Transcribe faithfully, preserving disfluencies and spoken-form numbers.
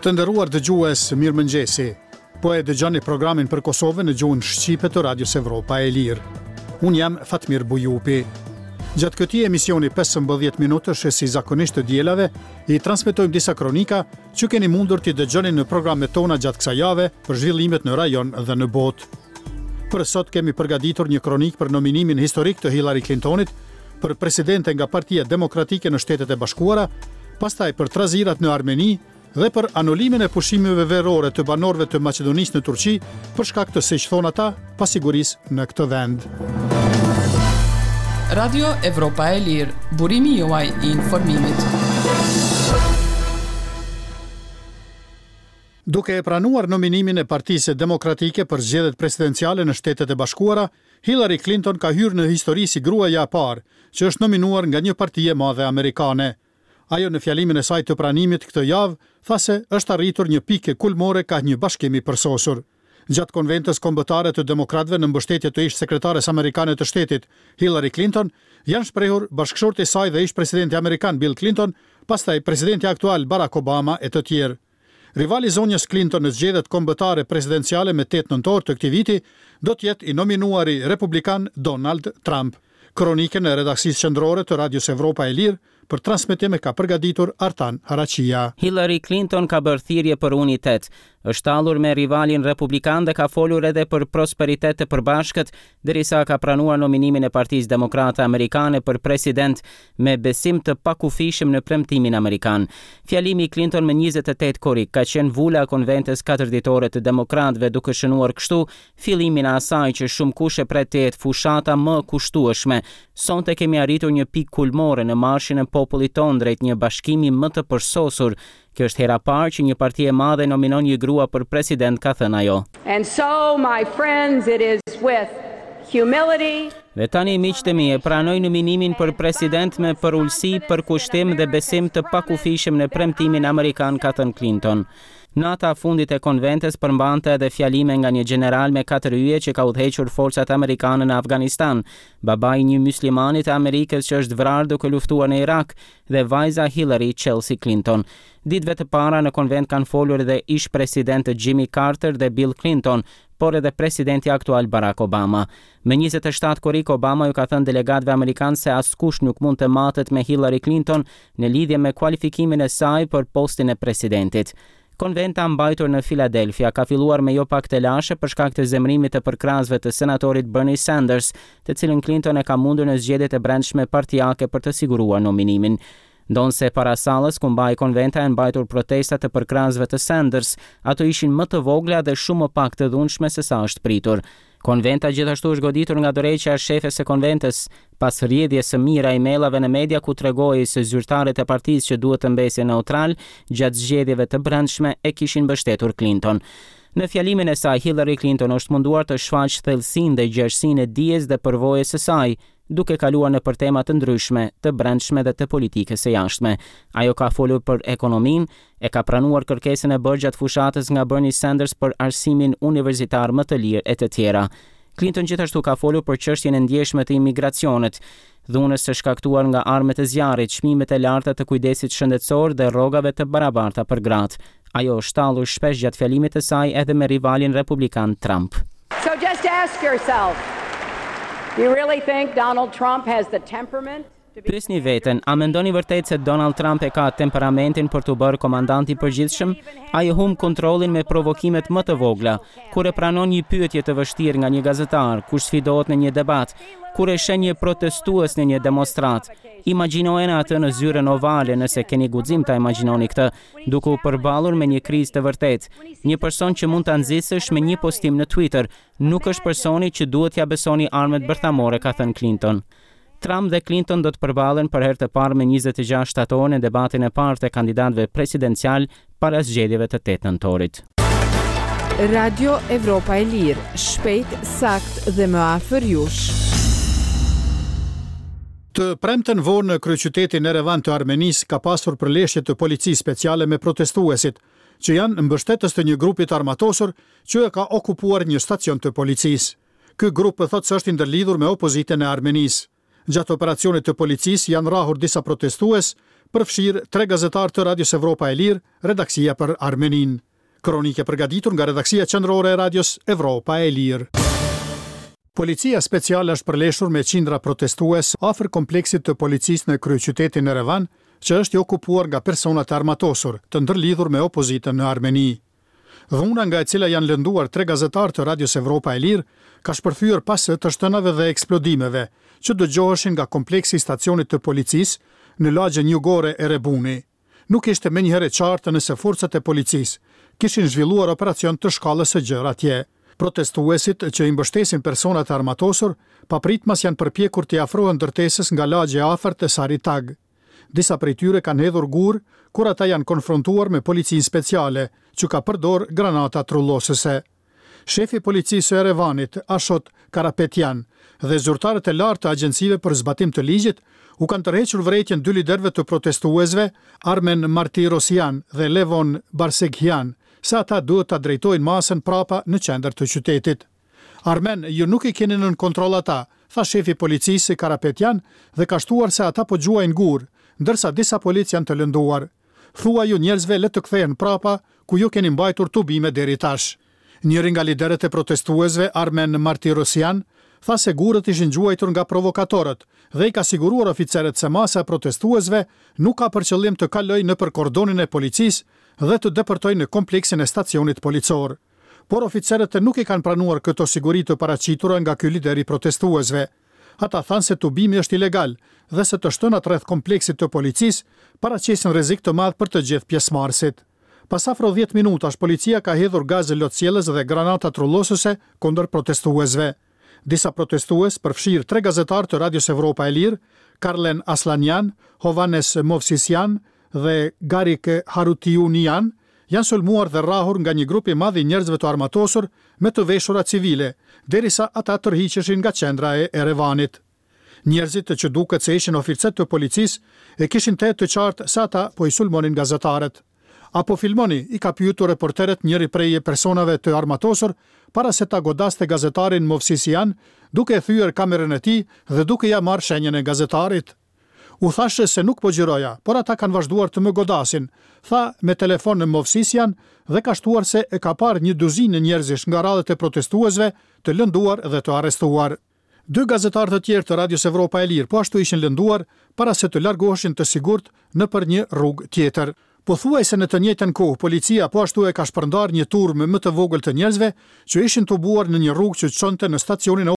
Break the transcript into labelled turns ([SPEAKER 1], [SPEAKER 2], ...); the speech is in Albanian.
[SPEAKER 1] Të nderuar dëgjues, mirëmëngjesi. Po e dëgjoni programin për Kosovën në gjuhën shqipe të Radios Evropa e Lirë. Unë jam Fatmir Bujupi. Gjatë këtij emisioni pesëmbëdhjetë minutësh si zakonisht të dielave, i transmetojmë disa kronika që keni mundur t'i dëgjoni në programet tona gjatë kësaj jave për zhvillimet në rajon dhe në botë. Për sot kemi përgatitur një kronikë për nominimin historik të Hillary Clintonit për presidente nga Partia Demokratike në Shtetet e Bashkuara, pastaj për trazirat në Armeni dhe për anulimin e pushimeve verore të banorëve të Maqedonisë në Turqi për shkak të, siç thonë ata, pasigurisë në këtë vend.
[SPEAKER 2] Radio Evropa e Lirë, burimi juaj i informimit.
[SPEAKER 1] Duke e pranuar nominimin e Partisë Demokratike për zgjedhjet presidenciale në Shtetet e Bashkuara, Hillary Clinton ka hyrë në histori si gruaja e parë që është nominuar nga një parti e madhe amerikane. Ajo në fjalimin e saj të pranimit këtë javë tha se është arritur një pikë kulmore ka një bashkim i përsosur. Gjatë konventës kombëtare të demokratëve në mbështetje të ish sekretares amerikane të shtetit, Hillary Clinton, janë shprehur bashkëshorti i saj dhe ish presidenti amerikan Bill Clinton, pastaj presidenti aktual Barack Obama e të tjerë. Rivali zonjës Clinton në zgjedhjet kombëtare presidenciale me tetë nëntor të këtij viti do të jetë i nominuari republikan Donald Trump. Kronikën e redaksisë qendrore të Radios Evropa e Lirë për transmetim e ka përgatitur Artan Haraqia.
[SPEAKER 3] Hillary Clinton ka bërë thirrje për unitet, është tallur me rivalin republikan dhe ka folur edhe për prosperitet të përbashkët, derisa ka pranuar nominimin e Partisë Demokrate Amerikane për president me besim të pakufishëm në premtimin amerikan. Fjalimi i Clinton më njëzet e tetë korrik ka qenë vula e konventës katër ditore të demokratëve, duke shënuar kështu fillimin e asaj që shumë kush e pret të jetë fushata më kushtueshme. Sonte kemi arritur një pikë kulmore në marshin e popullit tonë drejt një bashkimi më të përsosur. Kjo është hera parë që një parti e madhe nominon një grua për president, ka thënë ajo.
[SPEAKER 4] And so, my friends, it is with humility.
[SPEAKER 3] Dhe tani, miqtë e mi, e pranoj nominimin për president me përulësi, përkushtim dhe besim të pakufishëm në premtimin amerikan, ka thënë Clinton. Nata fundit e konventës përmbante edhe fjalime nga një gjeneral me katër yje që ka udhëhequr forcat amerikane në Afganistan, babai i një muslimani të Amerikës që është vrarë duke luftuar në Irak dhe vajza Hillary Chelsea Clinton. Ditëve të para në konvent kanë folur edhe ish-presidentët Jimmy Carter dhe Bill Clinton, por edhe presidenti aktual Barack Obama. Më njëzet e shtatë korrik Obama ju ka thënë delegatëve amerikanë se askush nuk mund të matet me Hillary Clinton në lidhje me kualifikimin e saj për postin e presidentit. Konventa mbajtur në Philadelphia ka filluar me jo pak telashe për shkak të zemërimit të përkrahasve të senatorit Bernie Sanders, të cilin Clinton e ka mundur në zgjedhjet e brendshme partiake për të siguruar nominimin. Ndonse para sallës ku mbahej konventa janë mbajtur protesta të përkrahasve të Sanders, ato ishin më të vogla dhe shumë më pak të dhunshme se sa është pritur. Konventa gjithashtu është goditur nga dorëheqja e shefes së konventës pas rrjedhjes së mira emailave në media ku tregoi se zyrtarët e partisë që duhet të mbesin neutral gjatë zgjedhjeve të brendshme e kishin mbështetur Clinton. Në fjalimin e saj, Hillary Clinton është munduar të shfaqë thellësinë dhe gjerësinë e dijes dhe përvojës së saj, duke kaluar në për tema të ndryshme, të brendshme dhe të politikës së jashtme. Ajo ka folur për ekonominë, e ka pranuar kërkesën e bërë gjatë fushatës nga Bernie Sanders për arsimin universitar më të lirë e të tjera. Clinton gjithashtu ka folur për çështjen e ndjeshme të imigracionit, dhunës së shkaktuar nga armët e zjarrit, çmimet e larta të kujdesit shëndetësor dhe rrogave të barabarta për gratë. Ajo është tallur shpesh gjatë fjalimit të saj edhe me rivalin republikan Trump.
[SPEAKER 4] So just ask yourself, do you really think Donald Trump has the temperament?
[SPEAKER 3] Pyesni veten, a mendoni vërtet se Donald Trump e ka temperamentin për t'u bërë komandant i përgjithshëm? Ai e humb kontrollin me provokimet më të vogla, kur e pranon një pyetje të vështirë nga një gazetar, kur sfidohet në një debat, kur e sheh një protestues në një demonstratë. Imagjinojeni atë në zyrën ovale nëse keni guxim ta imagjinoni këtë, duke u përballur me një krizë të vërtetë. Një person që mund ta nxisësh me një postim në Twitter, nuk është personi që duhet t'ia besoni armët bërthamore, ka thënë Clinton. Trump dhe Clinton do të përballen për herë të parë me njëzet e gjashtë shtator në debatin e parë të kandidatëve presidencial para zgjedhjeve të tetë nëntorit.
[SPEAKER 5] Radio Evropa e Lirë, shpejt, sakt dhe më afër jush.
[SPEAKER 1] Të premten vonë në kryeqytetin Erevan të Armenisë ka pasur përleshje të policisë speciale me protestuesit, që janë mbështetës të një grupi të armatosur që e ka okupuar një stacion të policisë. Ky grup thotë se është i ndërlidhur me opozitën e Armenisë. Gjatë operacionit të policisë janë rrahur disa protestues, përfshirë tre gazetarë të Radios Evropa e Lirë, redaksia për Armeninë. Kronikë e përgatitur nga redaksia qendrore e Radios Evropa e Lirë. Policia speciale është përleshur me qindra protestues afër kompleksit të policisë në kryeqytetin Erevan, që është i okupuar nga persona të armatosur, të ndërlidhur me opozitën në Armeni. Dhuna nga e cila janë lënduar tre gazetarë të Radios Evropa e Lirë, ka shpërthyer pas të shtënave dhe eksplodimeve, që dëgjoheshin nga kompleksi i stacionit të policisë në lagjen jugore Erebuni. Nuk ishte menjëherë e qartë nëse forcat e policisë kishin zhvilluar operacion të shkallës së gjerë atje. Protestuesit që i mbështesin personat e armatosur, papritmas janë përpjekur t'i afrohen ndërtesës nga lagja e afërt e Saritag. Disa prej tyre kanë hedhur gur kur ata janë konfrontuar me policinë speciale, që ka përdor granata trullosëse. Shefi i policisë së Erevanit, Ashot Karapetyan, dhe zyrtarët e lartë të agjencive për zbatim të ligjit u kanë tërhequr vërejtjen dy liderëve të protestuesve, Armen Martirosyan dhe Levon Barseghian, se ata duhet ta drejtojnë masën prapa në qendër të qytetit. Armen, ju nuk i keni nën kontroll ata, tha shefi i policisë Karapetyan dhe ka shtuar se ata po gjuajnë gur, ndërsa disa policë janë të lënduar. Thuaju njerëzve le të kthehen prapa ku ju keni mbajtur tubime deri tash. Njëri nga liderët e protestuesve, Armen Martirosyan, tha se gurët ishin gjuajtur nga provokatorët dhe i ka siguruar oficerët se masa e protestuesve nuk ka për qëllim të kalojë nëpër kordonin e policisë dhe të depërtojë në kompleksin e stacionit policor. Por oficerët nuk i kanë pranuar këto siguri të paraqitura nga ky lider i protestuesve. Ata thanë se tubimi është ilegal dhe se të shtënat rreth kompleksit të policisë paraqesin rrezik të madh për të gjithë pjesëmarrësit. Pas afro dhjetë minutash, policia ka hedhur gaz lotsjellës dhe granata trullosëse kundër protestuesve. Disa protestues, përfshirë tre gazetarë të Radios Evropa e Lirë, Karlen Aslanyan, Hovanes Movsisyan dhe Garik Harutiunian, janë sulmuar dhe rrahur nga një grup i madh i njerëzve të armatosur me të veshura civile, derisa ata tërhiqeshin nga qendra e Erevanit. Njerëzit që duket se ishin oficerë të policisë e kishin të të qartë se ata po i sulmonin gazetarët. A po filmoni, i ka pyetur reporterët njëri prej personave të armatosur para se ta godaste gazetarin Movsisian, duke e thyer kamerën e tij dhe duke ia marrë shenjën e gazetarit. U thashë se nuk po xhiroja, por ata kanë vazhduar të më godasin, tha me telefon në Movsisian dhe ka shtuar se e ka parë një duzinë njerëzish nga radhët e protestuesve të lënduar dhe të arrestuar. Dy gazetarë të tjerë të Radios Evropa e Lirë po ashtu ishin lënduar para se të largoheshin të sigurt nëpër një rrugë tjetër. Pothuajse në të njëjtën kohë, policia po ashtu e ka shpërndarë një turmë më të vogël të njerëzve që ishin tubuar në një rrugë që çonte në stacionin e